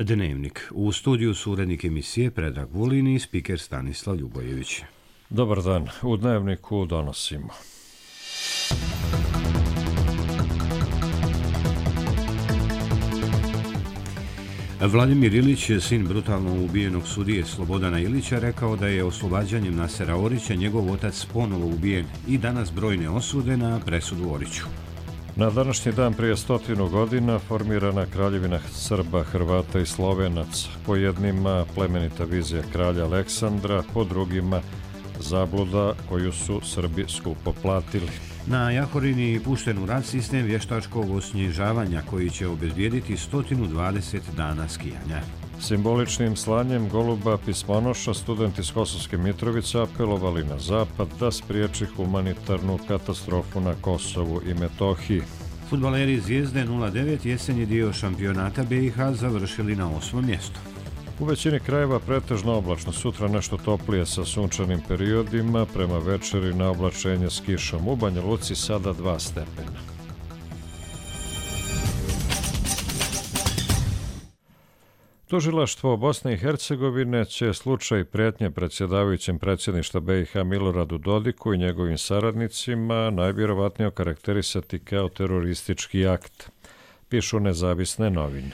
Dnevnik. U studiju su urednik emisije Predrag Vulin i spiker Stanislav Ljubojević. Dobar dan. U Dnevniku donosimo. Vladimir Ilić, sin brutalno ubijenog sudije Slobodana Ilića, rekao da je oslobađanjem Nasera Orića njegov otac ponovo ubijen i danas brojne osude na presudu Oriću. Na današnji dan prije 100 godina formirana Kraljevina Srba, Hrvata i Slovenaca. Po jednima plemenita vizija kralja Aleksandra, po drugima zabluda koju su Srbi skupo platili. Na Jahorini pušten u rad sistem vještačkog osnježavanja koji će obezbijediti 120 dana skijanja. Simboličnim slanjem goluba pismonoša studenti iz Kosovske Mitrovice apelovali na Zapad da spriječi humanitarnu katastrofu na Kosovu i Metohiji. Fudbaleri Zvijezde 09 jesenji dio šampionata BiH završili na 8. mjestu. U većini krajeva pretežno oblačno, sutra nešto toplije sa sunčanim periodima, prema večeri na oblačenje s kišom. U Banja Luci sada 2 stepena. Tužilaštvo Bosne i Hercegovine će slučaj prijetnje predsjedavajućem predsjedništva BiH Miloradu Dodiku i njegovim saradnicima najvjerovatnije okarakterisati kao teroristički akt, pišu nezavisne novine.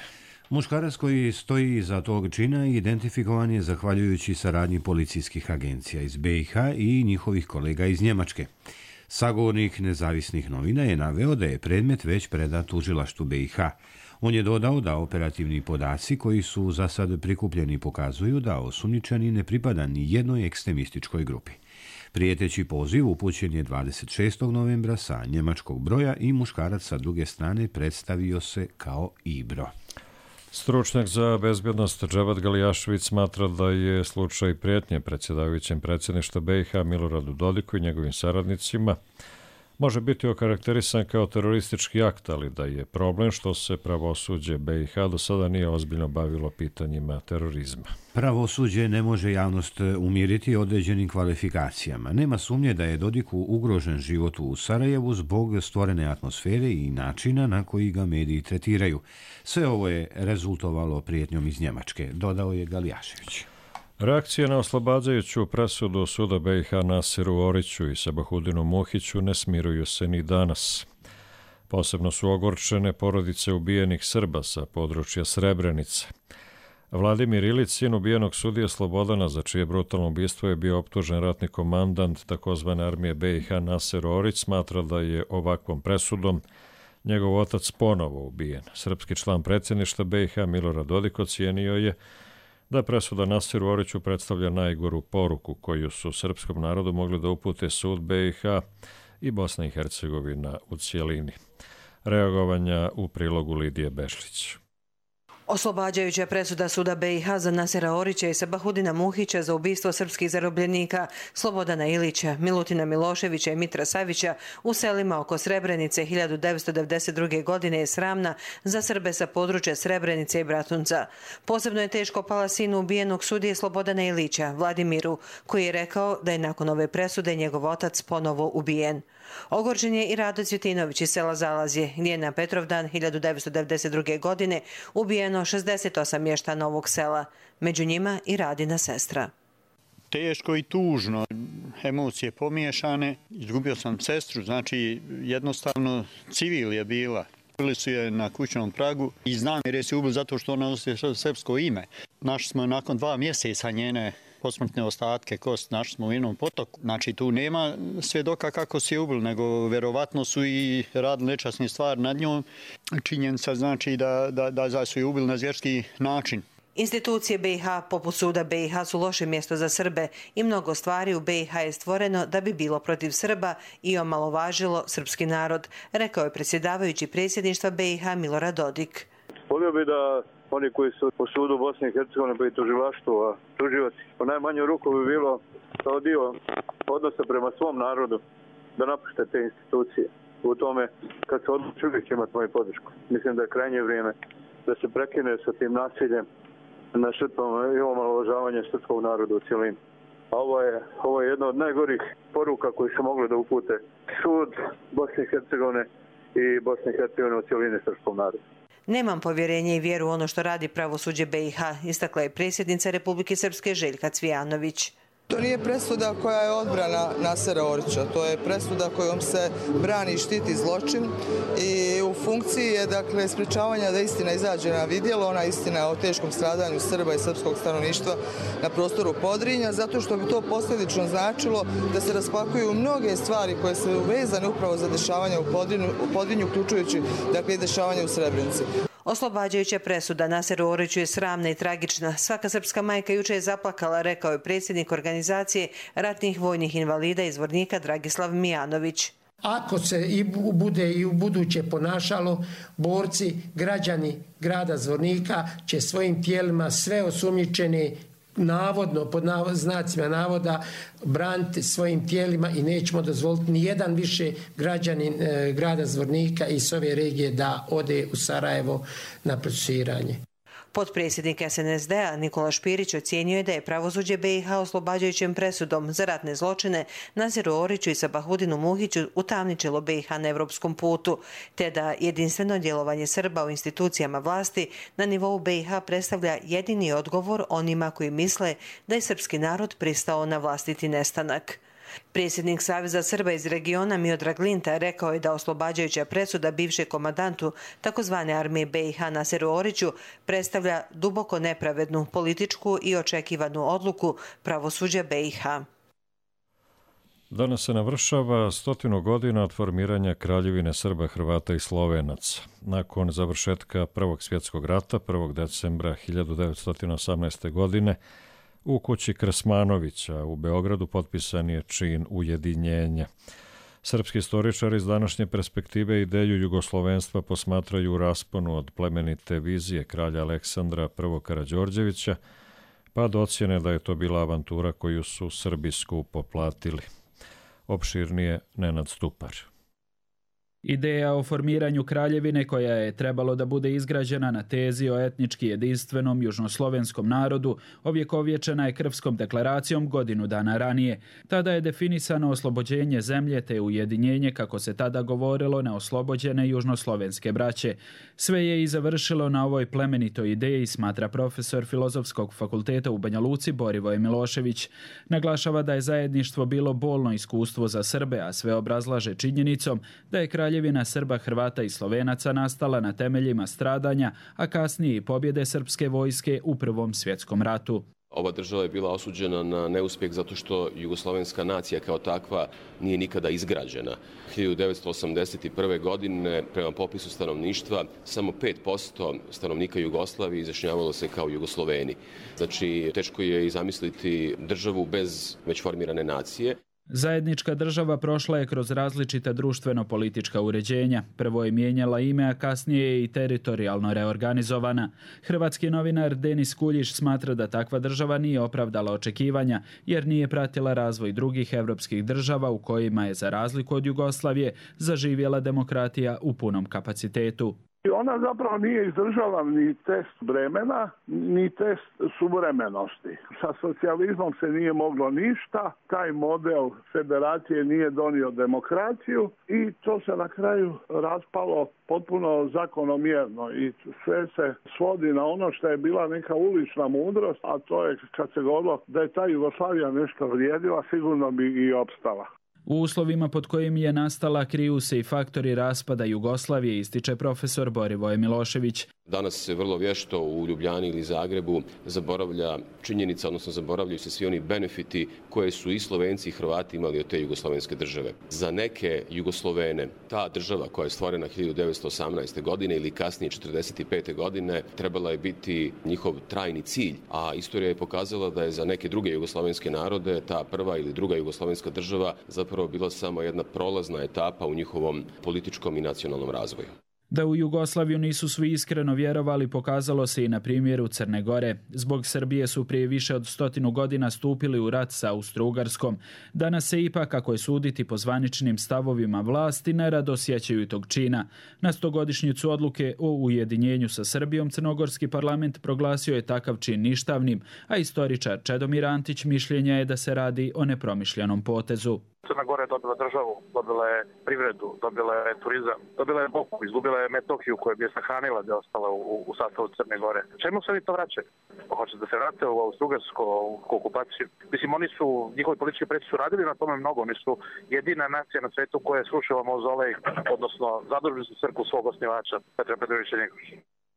Muškarac koji stoji iza tog čina identifikovan je zahvaljujući saradnji policijskih agencija iz BiH i njihovih kolega iz Njemačke. Sagovornik nezavisnih novina je naveo da je predmet već predat tužilaštvu BiH. On je dodao da operativni podaci koji su za sad prikupljeni pokazuju da osumnjičeni ne pripada ni jednoj ekstremističkoj grupi. Prijeteći poziv upućen je 26. novembra sa njemačkog broja i muškarac sa druge strane predstavio se kao Ibro. Stručnjak za bezbjednost Dževad Galijašević smatra da je slučaj prijetnje predsjedavajućem predsjedništva BiH Miloradu Dodiku i njegovim saradnicima može biti okarakterisan kao teroristički akt, ali da je problem što se pravosuđe BiH do sada nije ozbiljno bavilo pitanjima terorizma. Pravosuđe ne može javnost umiriti određenim kvalifikacijama. Nema sumnje da je Dodiku ugrožen život u Sarajevu zbog stvorene atmosfere i načina na koji ga mediji tretiraju. Sve ovo je rezultovalo prijetnjom iz Njemačke, dodao je Galijašević. Reakcije na oslobađajuću presudu suda BiH Naseru Oriću i Sabahudinu Muhiću ne smiruju se ni danas. Posebno su ogorčene porodice ubijenih Srba sa područja Srebrenice. Vladimir Ilić, sin ubijenog sudije Slobodana, za čije brutalno ubistvo je bio optužen ratni komandant takozvane armije BiH Naser Orić, smatra da je ovakvom presudom njegov otac ponovo ubijen. Srpski član predsjedništva BiH Milorad Dodik ocijenio je da presuda Naseru Oriću predstavlja najgoru poruku koju su srpskom narodu mogli da upute sud BiH i Bosna i Hercegovina u cijelini. Reagovanja u prilogu Lidije Bešlić. Oslobađajuća presuda suda BiH za Nasera Orića i Sabahudina Muhića za ubistvo srpskih zarobljenika Slobodana Ilića, Milutina Miloševića i Mitra Savića u selima oko Srebrenice 1992. godine je sramna za Srbe sa područja Srebrenice i Bratunca. Posebno je teško pala sinu ubijenog sudije Slobodana Ilića, Vladimiru, koji je rekao da je nakon ove presude njegov otac ponovo ubijen. Ogorčen je i Rado Cvjetinović iz sela Zalazje, gdje je na Petrovdan 1992. godine ubijeno 68 mještana ovog sela, među njima i Radina sestra. Teško i tužno, emocije pomiješane, izgubio sam sestru, znači jednostavno civil je bila. Bili su je na kućnom pragu i znam jer je se ubili zato što ona nosi srpsko ime. Našli smo nakon 2 mjeseca njene posmrtne ostatke kost, našli smo u jednom potoku. Znači tu nema svjedoka kako se je ubili, nego vjerovatno su i radili nečasne stvari nad njom. Činjenica znači da su je ubili na zvjerski način. Institucije BiH poput suda BiH su loše mjesto za Srbe i mnogo stvari u BiH je stvoreno da bi bilo protiv Srba i omalovažilo srpski narod, rekao je predsjedavajući predsjedništva BiH Milorad Dodik. Volio bi da oni koji su po sudu Bosne i Hercegovine pa i tužilaštvu, a tužioci, po najmanju ruku bi bilo kao dio odnosa prema svom narodu da napušte te institucije. U tome, kad se odluči, uvijek će imati moju podršku. Mislim da je krajnje vrijeme da se prekine sa tim nasiljem na žrtvama i omalovažavanje srpskog naroda u cijelini. A ovo je jedna od najgorih poruka koji su mogli da upute sud Bosne i Hercegovine i Bosne i Hercegovine u cijelini srpskom narodu. Nemam povjerenje i vjeru u ono što radi pravosuđe BiH, istakla je predsjednica Republike Srpske Željka Cvijanović. To nije presuda koja je odbrana Nasera Orića, to je presuda kojom se brani i štiti zločin i u funkciji je dakle sprečavanja da istina izađe na vidjelo, ona istina o teškom stradanju Srba i srpskog stanovništva na prostoru Podrinja, zato što bi to posljedično značilo da se raspakuju mnoge stvari koje su vezane upravo za dešavanja u Podrinju, uključujući dakle i dešavanja u Srebrenici. Oslobađajuća presuda Naseru Oriću je sramna i tragična. Svaka srpska majka juče je zaplakala, rekao je predsjednik organizacije ratnih vojnih invalida iz Zvornika Dragislav Mijanović. Ako se bude i u buduće ponašalo, borci, građani grada Zvornika će svojim tijelima sve osumnjičene navodno, pod znacima navoda, braniti svojim tijelima i nećemo dozvoliti ni jedan više građanin grada Zvornika i s ove regije da ode u Sarajevo na procesuiranje. Potpredsjednik SNSD-a Nikola Špirić ocijenio je da je pravosuđe BiH oslobađajućom presudom za ratne zločine Naseru Oriću i Sabahudinu Muhiću utamničilo BiH na evropskom putu, te da jedinstveno djelovanje Srba u institucijama vlasti na nivou BiH predstavlja jedini odgovor onima koji misle da je srpski narod pristao na vlastiti nestanak. Predsjednik Saveza Srba iz regiona Miodrag Linta rekao je da oslobađajuća presuda bivšeg komandantu takozvane armije BiH Naseru Oriću predstavlja duboko nepravednu političku i očekivanu odluku pravosuđa BiH. Danas se navršava 100 godina od formiranja Kraljevine Srba, Hrvata i Slovenaca. Nakon završetka Prvog svjetskog rata, 1. decembra 1918. godine, u kući Krsmanovića u Beogradu potpisan je čin ujedinjenja. Srpski istoričari iz današnje perspektive ideju jugoslovenstva posmatraju u rasponu od plemenite vizije kralja Aleksandra I. Karađorđevića, pa do ocjene da je to bila avantura koju su Srbi skupo platili. Opširnije Nenad Stupar. Ideja o formiranju kraljevine koja je trebalo da bude izgrađena na tezi o etnički jedinstvenom južnoslovenskom narodu ovjekovječena je Krfskom deklaracijom godinu dana ranije. Tada je definisano oslobođenje zemlje te ujedinjenje, kako se tada govorilo, neoslobođene južnoslovenske braće. Sve je i završilo na ovoj plemenitoj ideji, smatra profesor Filozofskog fakulteta u Banja Luci Borivoje Milošević. Naglašava da je zajedništvo bilo bolno iskustvo za Srbe, a sve obrazlaže činjenicom da je Kraljevina Srba, Hrvata i Slovenaca nastala na temeljima stradanja, a kasnije i pobjede srpske vojske u Prvom svjetskom ratu. Ova država je bila osuđena na neuspjeh zato što jugoslovenska nacija kao takva nije nikada izgrađena. 1981. godine prema popisu stanovništva samo 5% stanovnika Jugoslavije izjašnjavalo se kao Jugosloveni. Znači, teško je i zamisliti državu bez već formirane nacije. Zajednička država prošla je kroz različita društveno-politička uređenja. Prvo je mijenjala ime, a kasnije je i teritorijalno reorganizovana. Hrvatski novinar Denis Kuljiš smatra da takva država nije opravdala očekivanja, jer nije pratila razvoj drugih evropskih država u kojima je, za razliku od Jugoslavije, zaživjela demokratija u punom kapacitetu. Ona zapravo nije izdržala ni test vremena, ni test suvremenosti. Sa socijalizmom se nije moglo ništa, taj model federacije nije donio demokraciju i to se na kraju raspalo potpuno zakonomjerno i sve se svodi na ono što je bila neka ulična mudrost, a to je kad se govorilo da je ta Jugoslavija nešto vrijedila, sigurno bi i opstala. U uslovima pod kojim je nastala kriju se i faktori raspada Jugoslavije, ističe profesor Borivoje Milošević. Danas se vrlo vješto u Ljubljani ili Zagrebu zaboravlja činjenica, odnosno zaboravljaju se svi oni benefiti koje su i Slovenci i Hrvati imali od te jugoslovenske države. Za neke Jugoslovene ta država koja je stvorena 1918. godine ili kasnije 1945. godine trebala je biti njihov trajni cilj, a istorija je pokazala da je za neke druge jugoslovenske narode ta prva ili druga jugoslovenska država zapravo bila samo jedna prolazna etapa u njihovom političkom i nacionalnom razvoju. Da u Jugoslaviju nisu svi iskreno vjerovali pokazalo se i na primjeru Crne Gore. Zbog Srbije su prije više od 100 godina stupili u rat sa Austro-Ugarskom. Danas se ipak, ako je suditi po zvaničnim stavovima vlasti, nerado sjećaju tog čina. Na 100-godišnjicu odluke o ujedinjenju sa Srbijom Crnogorski parlament proglasio je takav čin ništavnim, a istoričar Čedomir Antić mišljenja je da se radi o nepromišljenom potezu. Crna Gora je dobila državu, dobila je privredu, dobila je turizam, dobila je Boku, izgubila je Metohiju koja bi je sahranila da je ostala u sastavu Crne Gore. Čemu se oni to vraćaju? Hoće da se vrate u Austro-Ugarsku okupaciju? Mislim, njihovi politički preci su radili na tome mnogo. Oni su jedina nacija na svetu koja je srušila mauzolej, odnosno zadužili su crkvu svog osnivača, Petra Petrovića Njegoša.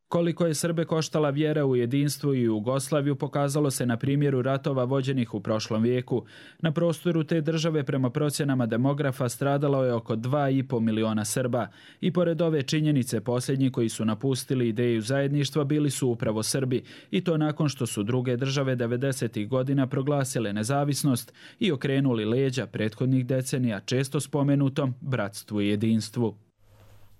Koliko je Srbe koštala vjera u jedinstvo i Jugoslaviju pokazalo se na primjeru ratova vođenih u prošlom vijeku. Na prostoru te države prema procjenama demografa stradalo je oko 2,5 miliona Srba. I pored ove činjenice posljednji koji su napustili ideju zajedništva bili su upravo Srbi. I to nakon što su druge države 90. godina proglasile nezavisnost i okrenuli leđa prethodnih decenija često spomenutom bratstvu i jedinstvu.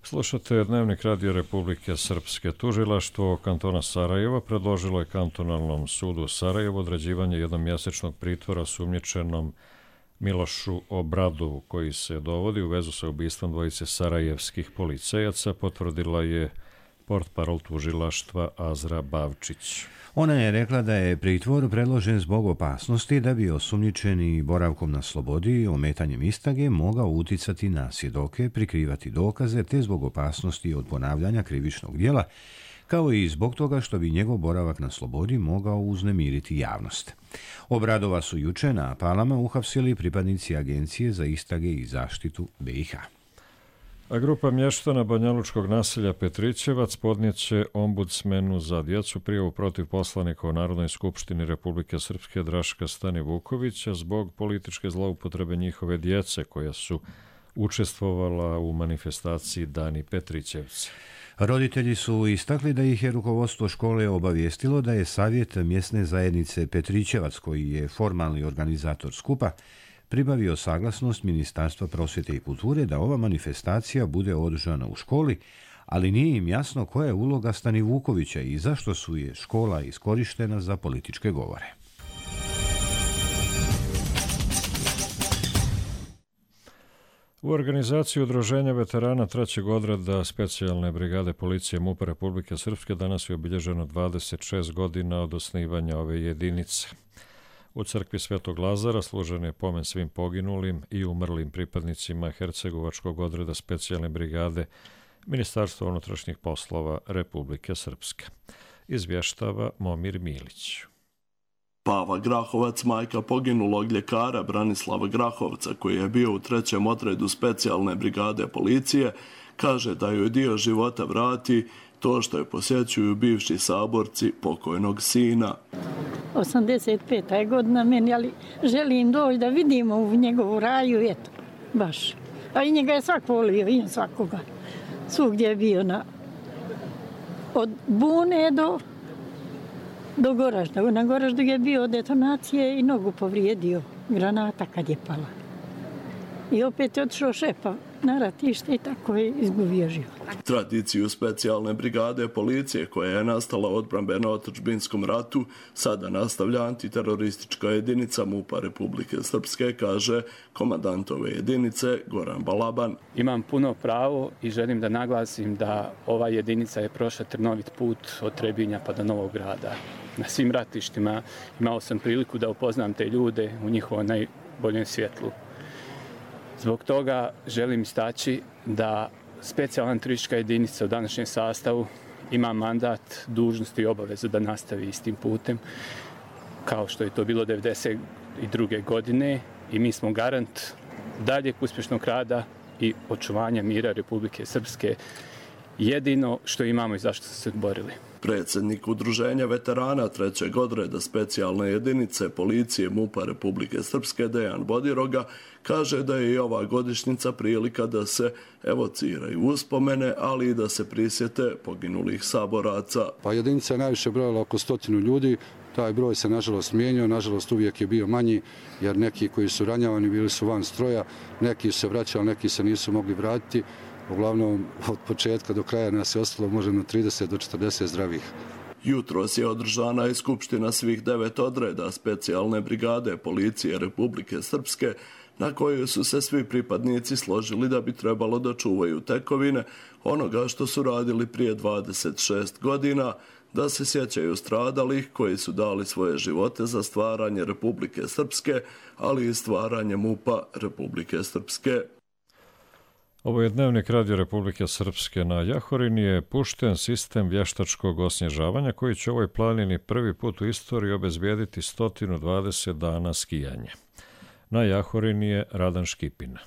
Slušate Dnevnik Radija Republike Srpske. Tužilaštvo kantona Sarajeva predložilo je kantonalnom sudu Sarajevo određivanje jednomjesečnog pritvora osumnjičenom Milošu Obradovu, koji se dovodi u vezu sa ubistvom dvojice sarajevskih policajaca, potvrdila je portparol tužilaštva Azra Bavčić. Ona je rekla da je pritvor predložen zbog opasnosti da bi osumnjičeni boravkom na slobodi, ometanjem istrage, mogao uticati na svjedoke, prikrivati dokaze, te zbog opasnosti od ponavljanja krivičnog djela, kao i zbog toga što bi njegov boravak na slobodi mogao uznemiriti javnost. Obradova su juče na Palama uhapsili pripadnici Agencije za istrage i zaštitu BiH. A grupa mještana banjalučkog naselja Petrićevac podnijeće ombudsmenu za djecu prijavu protiv poslanika u Narodnoj skupštini Republike Srpske Draška Stani Vukovića zbog političke zloupotrebe njihove djece koja su učestvovala u manifestaciji Dani Petrićevci. Roditelji su istakli da ih je rukovodstvo škole obavijestilo da je Savjet mjesne zajednice Petrićevac, koji je formalni organizator skupa, pribavio saglasnost Ministarstva prosvjete i kulture da ova manifestacija bude održana u školi, ali nije im jasno koja je uloga Stani Vukovića i zašto su je škola iskorištena za političke govore. U organizaciji Udruženja veterana trećeg odreda specijalne brigade policije MUP-a Republike Srpske danas je obilježeno 26 godina od osnivanja ove jedinice. U crkvi Svetog Lazara služen je pomen svim poginulim i umrlim pripadnicima Hercegovačkog odreda specijalne brigade Ministarstva unutrašnjih poslova Republike Srpske. Izvještava Momir Milić. Pava Grahovac, majka poginulog ljekara Branislava Grahovca, koji je bio u trećem odredu specijalne brigade policije, kaže da joj dio života vrati to što je posjećuju bivši saborci pokojnog sina. 85. je godina meni, ali želim doći da vidimo u njegovu raju, eto, baš. A i njega je svak volio, i svakoga. Svugdje je bio od Bune do Goražda. Na Goraždu je bio detonacije i nogu povrijedio granata kad je pala. I opet je otišao šepa na ratište i tako je izgubio život. Tradiciju specijalne brigade policije koja je nastala u odbrambeno-otadžbinskom ratu sada nastavlja antiteroristička jedinica MUP-a Republike Srpske, kaže komandant ove jedinice Goran Balaban. Imam puno pravo i želim da naglasim da ova jedinica je prošla trnovit put od Trebinja pa do Novog Grada. Na svim ratištima imao sam priliku da upoznam te ljude u njihovom najboljem svjetlu. Zbog toga želim istaći da specijalna turistička jedinica u današnjem sastavu ima mandat, dužnost i obavezu da nastavi istim putem, kao što je to bilo 1992. godine i mi smo garant daljeg uspješnog rada i očuvanja mira Republike Srpske, jedino što imamo i zašto su se borili. Predsjednik Udruženja veterana trećeg odreda specijalne jedinice policije MUP-a Republike Srpske Dejan Bodiroga kaže da je i ova godišnjica prilika da se evociraju uspomene, ali i da se prisjete poginulih saboraca. Pa jedinica je najviše brojala oko 100 ljudi. Taj broj se nažalost mijenjao, nažalost uvijek je bio manji, jer neki koji su ranjavani bili su van stroja, neki su se vraćali, neki se nisu mogli vratiti. Uglavnom, od početka do kraja nas je ostalo možda 30 do 40 zdravih. Jutros je održana i skupština svih 9 odreda specijalne brigade policije Republike Srpske, na kojoj su se svi pripadnici složili da bi trebalo da čuvaju tekovine onoga što su radili prije 26 godina, da se sjećaju stradalih koji su dali svoje živote za stvaranje Republike Srpske, ali i stvaranje MUP-a Republike Srpske. Ovo je Dnevnik Radio Republike Srpske. Na Jahorini je pušten sistem vještačkog osnježavanja koji će ovoj planini prvi put u istoriji obezbijediti 120 dana skijanja. Na Jahorini je Radan Škipin.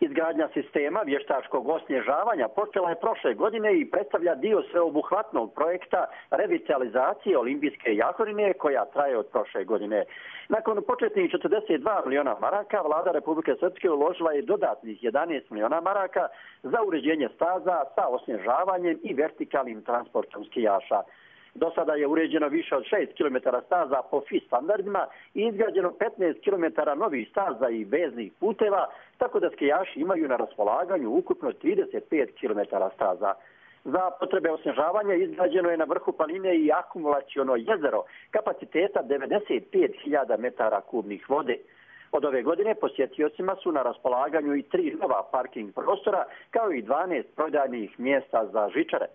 Izgradnja sistema vještačkog osnježavanja počela je prošle godine i predstavlja dio sveobuhvatnog projekta revitalizacije Olimpijske Jahorine koja traje od prošle godine. Nakon početnih 42 miliona maraka, vlada Republike Srpske uložila je dodatnih 11 miliona maraka za uređenje staza sa osnježavanjem i vertikalnim transportom skijaša. Do sada je uređeno više od 6 km staza po FIS standardima i izgrađeno 15 km novih staza i veznih puteva, tako da skijaši imaju na raspolaganju ukupno 35 km staza. Za potrebe osnježavanja izgrađeno je na vrhu planine i akumulaciono jezero kapaciteta 95.000 metara kubnih vode. Od ove godine posjetiocima su na raspolaganju i 3 nova parking prostora, kao i 12 prodajnih mjesta za žičare.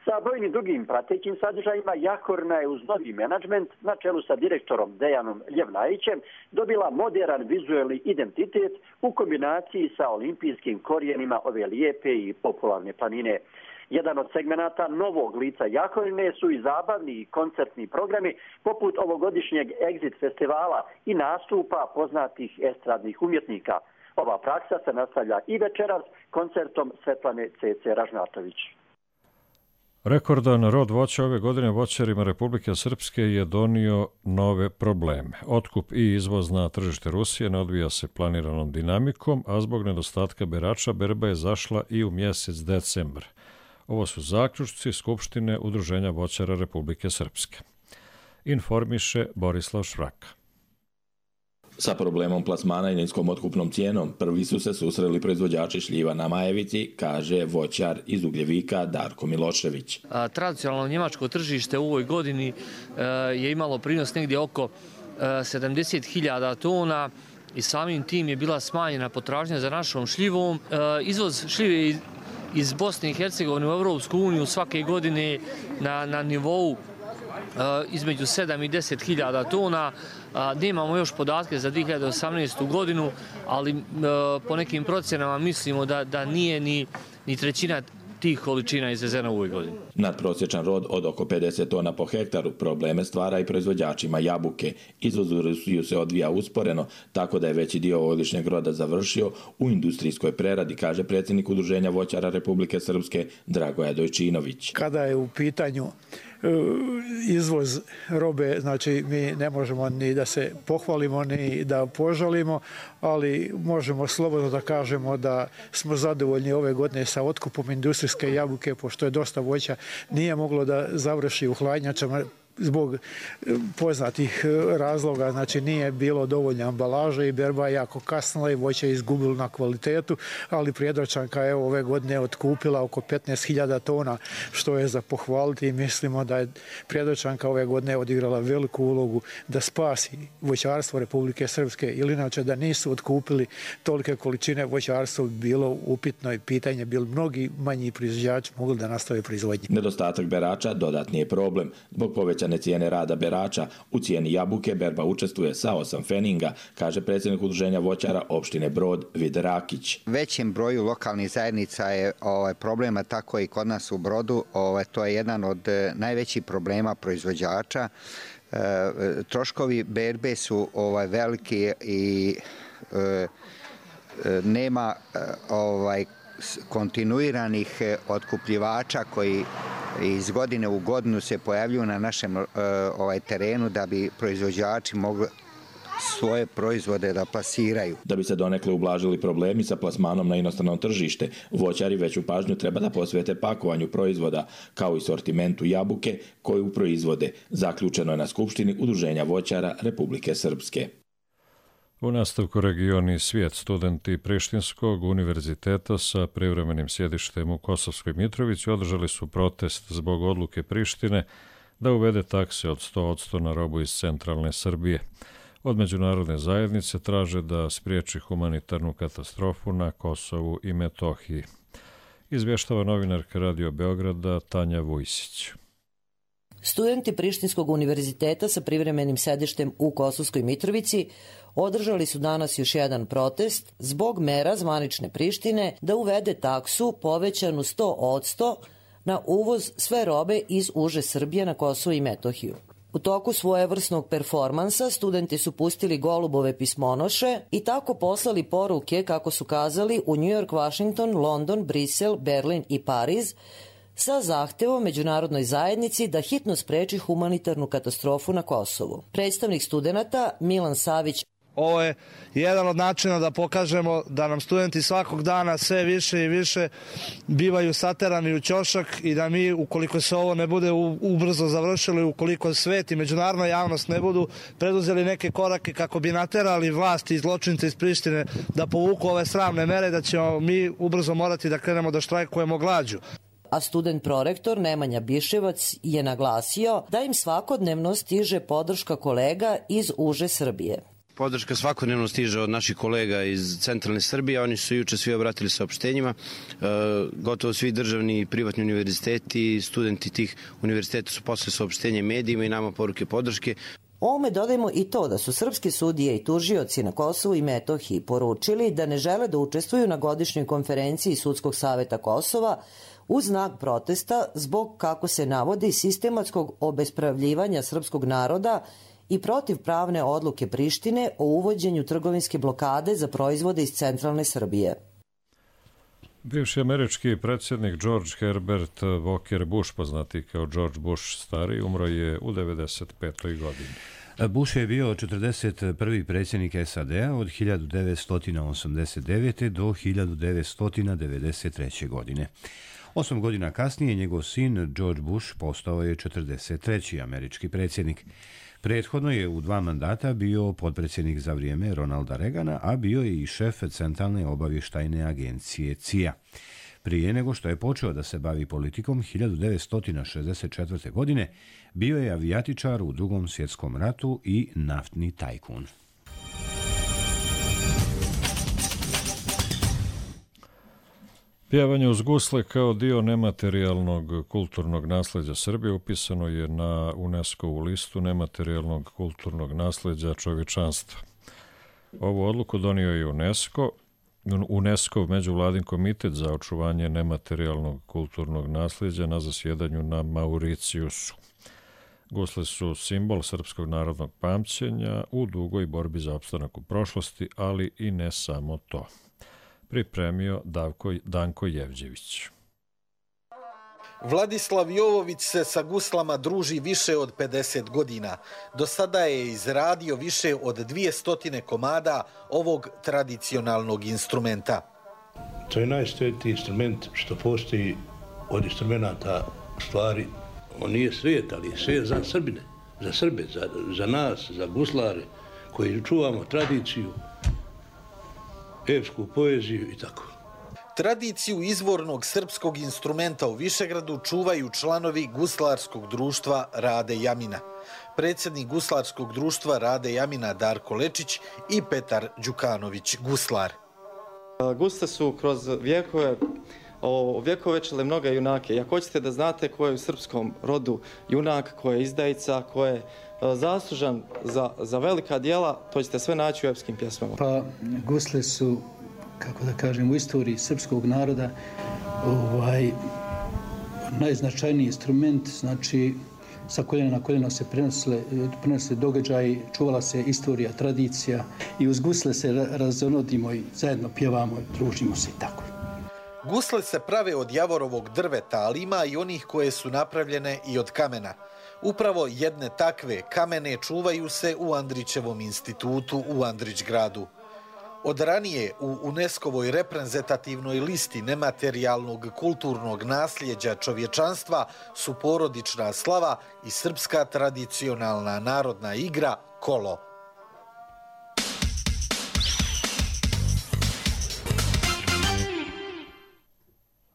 Sa brojnim drugim pratećim sadržajima Jahorina je uz novi menadžment na čelu sa direktorom Dejanom Ljevnajićem dobila moderan vizuelni identitet u kombinaciji sa olimpijskim korijenima ove lijepe i popularne planine. Jedan od segmenata novog lica Jahorine su i zabavni i koncertni programi poput ovogodišnjeg Exit festivala i nastupa poznatih estradnih umjetnika. Ova praksa se nastavlja i večeras koncertom Svetlane C.C. Ražnatović. Rekordan rod voća ove godine voćarima Republike Srpske je donio nove probleme. Otkup i izvoz na tržište Rusije ne odvija se planiranom dinamikom, a zbog nedostatka berača berba je zašla i u mjesec decembar. Ovo su zaključci Skupštine Udruženja voćara Republike Srpske. Informiše Borislav Švraka. Sa problemom plasmana i niskom otkupnom cijenom prvi su se susreli proizvođači šljiva na Majevici, kaže voćar iz Ugljevika Darko Milošević. Tradicionalno njemačko tržište u ovoj godini je imalo prinos negdje oko 70.000 tona i samim tim je bila smanjena potražnja za našom šljivom. Izvoz šljive iz Bosne i Hercegovine u Europsku uniju svake godine na nivou između 7 i 10.000 tona. Nemamo još podatke za 2018. godinu, ali po nekim procjenama mislimo da nije ni trećina tih količina izvezena u ovoj godini. Nadprosječan rod od oko 50 tona po hektaru probleme stvara i proizvođačima jabuke. Izvoz u Rusiju se odvija usporeno, tako da je veći dio ovogodišnjeg roda završio u industrijskoj preradi, kaže predsjednik Udruženja voćara Republike Srpske Dragoja Dojčinović. Kada je u pitanju izvoz robe, znači mi ne možemo ni da se pohvalimo ni da požalimo, ali možemo slobodno da kažemo da smo zadovoljni ove godine sa otkupom industrijske jabuke, pošto je dosta voća nije moglo da završi u hladnjačama zbog poznatih razloga, znači nije bilo dovoljno ambalaže i berba je jako kasnila i voće je izgubilo na kvalitetu, ali Prijedorčanka je ove godine otkupila oko 15.000 tona, što je za pohvaliti i mislimo da je Prijedorčanka ove godine odigrala veliku ulogu da spasi voćarstvo Republike Srpske, ili inače da nisu otkupili tolike količine voćarstva bilo upitno i pitanje, bili mnogi manji proizvođači mogli da nastave proizvodnje. Nedostatak berača dodatni je problem. Zbog povećanja cijene rada berača, u cijeni jabuke berba učestvuje sa 8 feninga, kaže predsjednik Udruženja voćara opštine Brod Vid Rakić. Većem broju lokalnih zajednica je problema, tako i kod nas u Brodu. To je jedan od najvećih problema proizvođača. Troškovi berbe su veliki i nema kontinuiranih otkupljivača koji iz godine u godinu se pojavljuju na našem terenu da bi proizvođači mogli svoje proizvode da plasiraju. Da bi se donekle ublažili problemi sa plasmanom na inostrano tržište, voćari veću pažnju treba da posvete pakovanju proizvoda, kao i sortimentu jabuke koju proizvode. Zaključeno je na Skupštini Udruženja voćara Republike Srpske. U nastavku Regioni svijet, studenti Prištinskog univerziteta sa privremenim sjedištem u Kosovskoj Mitrovici održali su protest zbog odluke Prištine da uvede takse od 100% na robu iz centralne Srbije. Od međunarodne zajednice traže da spriječi humanitarnu katastrofu na Kosovu i Metohiji. Izvještava novinarka Radio Beograda Tanja Vujsić. Studenti Prištinskog univerziteta sa privremenim sedištem u Kosovskoj Mitrovici održali su danas još jedan protest zbog mera zvanične Prištine da uvede taksu povećanu 100% na uvoz sve robe iz uže Srbije na Kosovo i Metohiju. U toku svojevrsnog performansa studenti su pustili golubove pismonoše i tako poslali poruke, kako su kazali, u New York, Washington, London, Brisel, Berlin i Pariz sa zahtevom međunarodnoj zajednici da hitno spreči humanitarnu katastrofu na Kosovu. Predstavnik studenata Milan Savić: ovo je jedan od načina da pokažemo da nam studenti svakog dana sve više i više bivaju saterani u ćošak i da mi, ukoliko se ovo ne bude ubrzo završilo, ukoliko svet i međunarodna javnost ne budu preduzeli neke korake kako bi naterali vlasti i zločince iz Prištine da povuku ove sramne mere, da ćemo mi ubrzo morati da krenemo da štrajkujemo glađu. A student prorektor Nemanja Biševac je naglasio da im svakodnevno stiže podrška kolega iz uže Srbije. Podrška svakodnevno stiže od naših kolega iz centralne Srbije. Oni su juče svi obratili saopštenjima. Gotovo svi državni i privatni univerziteti i studenti tih univerziteta su poslali saopštenje medijima i nama poruke podrške. Ovome dodajmo i to da su srpski sudije i tužioci na Kosovu i Metohiji poručili da ne žele da učestvuju na godišnjoj konferenciji Sudskog saveta Kosova u znak protesta zbog, kako se navodi, sistematskog obespravljivanja srpskog naroda i protiv pravne odluke Prištine o uvođenju trgovinske blokade za proizvode iz centralne Srbije. Bivši američki predsjednik George Herbert Walker Bush, poznati kao George Bush stari, umro je u 95. godini. Bush je bio 41. predsjednik SAD-a od 1989. do 1993. godine. 8 godina kasnije njegov sin George Bush postao je 43. američki predsjednik. Prethodno je u 2 mandata bio potpredsjednik za vrijeme Ronalda Reagana, a bio je i šef Centralne obavještajne agencije CIA. Prije nego što je počeo da se bavi politikom, 1964. godine bio je avijatičar u Drugom svjetskom ratu i naftni tajkun. Pjevanje uz gusle kao dio nematerijalnog kulturnog nasljeđa Srbije upisano je na UNESCO-vu listu nematerijalnog kulturnog nasljeđa čovječanstva. Ovu odluku donio je UNESCO međuvladin komitet za očuvanje nematerijalnog kulturnog nasljeđa na zasjedanju na Mauricijusu. Gusle su simbol srpskog narodnog pamćenja u dugoj borbi za opstanak u prošlosti, ali i ne samo to. Pripremio Danko Jevđević. Vladislav Jovović se sa guslama druži više od 50 godina. Do sada je izradio više od 200 komada ovog tradicionalnog instrumenta. To je najsvetiji instrument što postoji od instrumenta stvari. On nije svijet, ali je svijet za Srbine, za Srbe, za nas, za guslare koji čuvamo tradiciju, epsku poeziju i tako. Tradiciju izvornog srpskog instrumenta u Višegradu čuvaju članovi Guslarskog društva Rade Jamina. Predsjednik Guslarskog društva Rade Jamina Darko Lečić i Petar Đukanović, guslar. Gusle su kroz vjekovečile mnoge junake. Ako hoćete da znate ko je u srpskom rodu junak, ko je izdajica, ko je zaslužan za velika djela, to ćete sve naći u epskim pjesmama. Pa gusle su, kako da kažem, u istoriji srpskog naroda najznačajniji instrument, znači sa koljena na koljeno se prenosile događaji, čuvala se istorija, tradicija i uz gusle se razonodimo i zajedno pjevamo, družimo se i tako. Gusle se prave od javorovog drveta, ali ima i onih koje su napravljene i od kamena. Upravo jedne takve kamene čuvaju se u Andrićevom institutu u Andrićgradu. Od ranije u UNESCO-voj reprezentativnoj listi nematerijalnog kulturnog nasljeđa čovječanstva su porodična slava i srpska tradicionalna narodna igra kolo.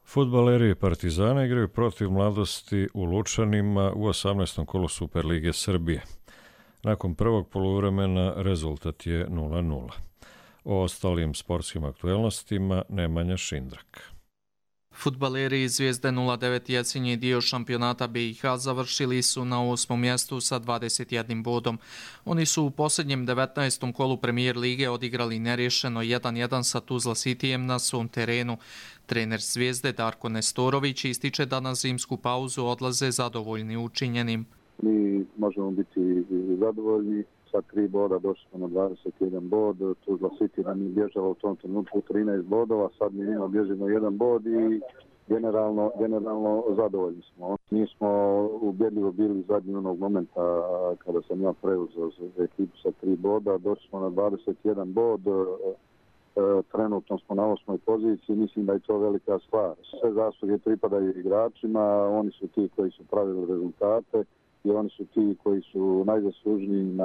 Fudbaleri Partizana igraju protiv Mladosti u Lučanima u 18. kolu Superlige Srbije. Nakon prvog poluvremena rezultat je 0:0. O ostalim sportskim aktuelnostima Nemanja Šindrak. Fudbaleri iz Zvijezde 09 jesenji dio šampionata BiH završili su na 8. mjestu sa 21 bodom. Oni su u posljednjem 19. kolu Premier lige odigrali nerješeno 1-1 sa Tuzla Cityjem na svom terenu. Trener Zvijezde Darko Nestorović ističe da na zimsku pauzu odlaze zadovoljni učinjenim. Mi možemo biti zadovoljni. Sa 3 boda došli smo na 21 bod. Tuzla City nam je bježala u tom trenutku 13 bodova, sad mi njima bježimo 1 bod i generalno zadovoljni smo. Mi smo ubjedljivo bili zadnji onog momenta kada sam ja preuzeo ekipu sa 3 boda. Došli smo na 21 bod. Trenutno smo na 8. poziciji, mislim da je to velika stvar. Sve zasluge pripadaju igračima, oni su ti koji su pravili rezultate i oni su ti koji su najzaslužniji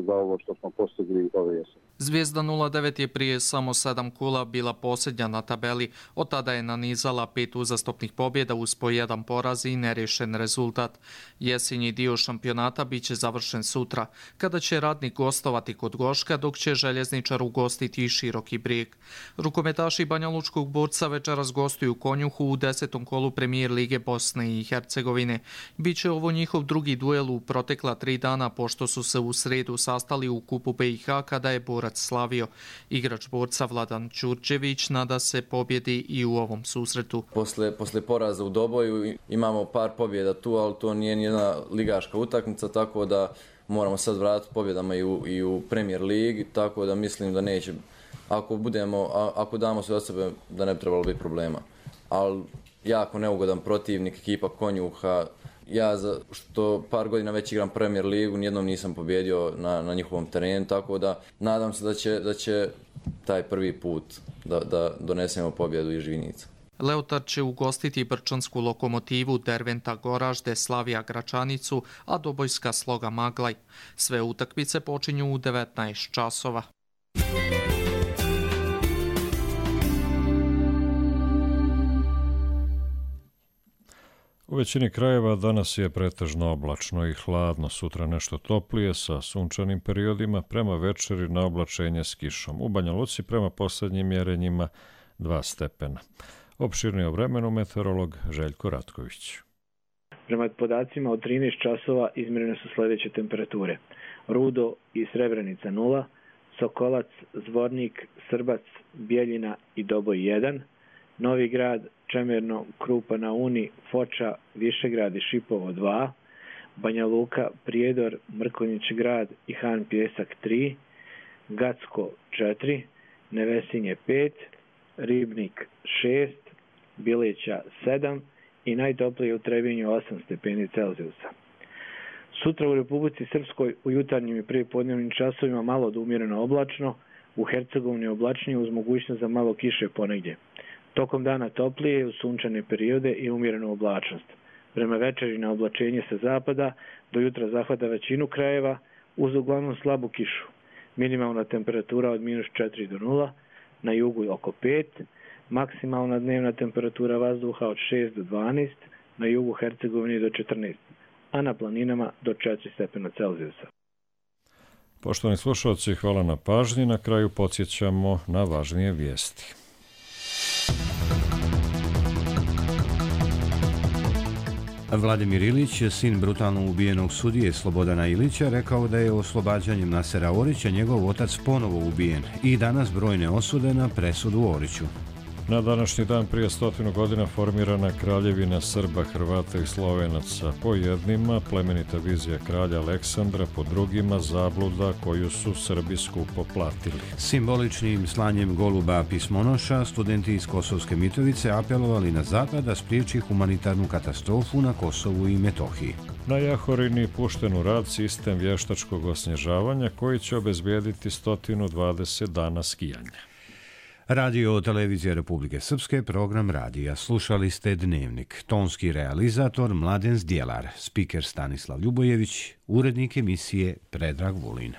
za ovo što smo postigli ove jeseni. Zvijezda 09 je prije samo 7 kola bila posljednja na tabeli, od tada je nanizala 5 uzastopnih pobjeda uz po 1 poraz i nerješen rezultat. Jesenji dio šampionata bit će završen sutra, kada će Radnik gostovati kod Goška, dok će Željezničar ugostiti Široki Brijeg. Rukometaši Banjalučkog Borca večeras gostuju Konjuhu u 10. kolu Premier lige Bosne i Hercegovine. Biće ovo njihov drugi duel u protekla 3 dana, pošto su se u sredu sastali u kupu BiH kada je Borac slavio. Igrač Borca Vladan Ćurčević nada se pobjedi i u ovom susretu. Posle poraza u Doboju imamo par pobjeda tu, ali to nije nijedna ligaška utakmica, tako da moramo sad vratiti pobjedama i u Premier ligi, tako da mislim da neće, ako damo sve od sebe, da ne bi trebalo biti problema. Ali jako neugodan protivnik, ekipa Konjuha. Ja što par godina već igram Premier ligu, nijednom nisam pobjedio na njihovom terenu, tako da nadam se da će taj prvi put da donesemo pobjedu iz Žvinica. Leotar će ugostiti brčansku Lokomotivu, Derventa Goražde, Slavija Gračanicu, a Dobojska Sloga Maglaj. Sve utakmice počinju u 19 časova. U većini krajeva danas je pretežno oblačno i hladno, sutra nešto toplije sa sunčanim periodima, prema večeri na oblačenje s kišom. U Banja Luci prema posljednjim mjerenjima 2 stepena. Opširnije o vremenu meteorolog Željko Ratković. Prema podacima od 13 časova izmjerene su sljedeće temperature. Rudo i Srebrenica 0, Sokolac, Zvornik, Srbac, Bijeljina i Doboj 1, Novi Grad, Čemerno, Krupa na Uni, Foča, Višegrad i Šipovo 2, Banja Luka, Prijedor, Mrkonjić Grad i Han Pjesak 3, Gacko 4, Nevesinje 5, Ribnik 6, Bileća 7 i najtoplije u Trebinju 8 stepeni Celzijusa. Sutra u Republici Srpskoj u jutarnjim i prijepodnevnim časovima malo do umjereno oblačno, u Hercegovini oblačnije uz mogućnost za malo kiše ponegdje. Tokom dana toplije u sunčane periode i umjerenu oblačnost. Prema večeri na oblačenje sa zapada do jutra zahvata većinu krajeva uz uglavnom slabu kišu. Minimalna temperatura od -4 do 0, na jugu oko 5, maksimalna dnevna temperatura vazduha od 6 do 12, na jugu Hercegovine do 14, a na planinama do 4 stepena Celzijusa. Poštovani slušalci, hvala na pažnji. Na kraju podsjećamo na važnije vijesti. Vladimir Ilić, sin brutalno ubijenog sudije Slobodana Ilića, rekao da je oslobađanjem Nasera Orića njegov otac ponovo ubijen i danas brojne osude na presudu Oriću. Na današnji dan prije 100 godina formirana kraljevina Srba, Hrvata i Slovenaca. Po jednima plemenita vizija kralja Aleksandra, po drugima zabluda koju su Srbi skupo platili. Simboličnim slanjem goluba pismonoša studenti iz Kosovske Mitrovice apelovali na zapad da spriječi humanitarnu katastrofu na Kosovu i Metohiji. Na Jahorini pušten u rad sistem vještačkog osnježavanja koji će obezbijediti 120 dana skijanja. Radio Televizija Republike Srpske, program radija. Slušali ste Dnevnik. Tonski realizator Mladen Zdjelar, spiker Stanislav Ljubojević, urednik emisije Predrag Vulin.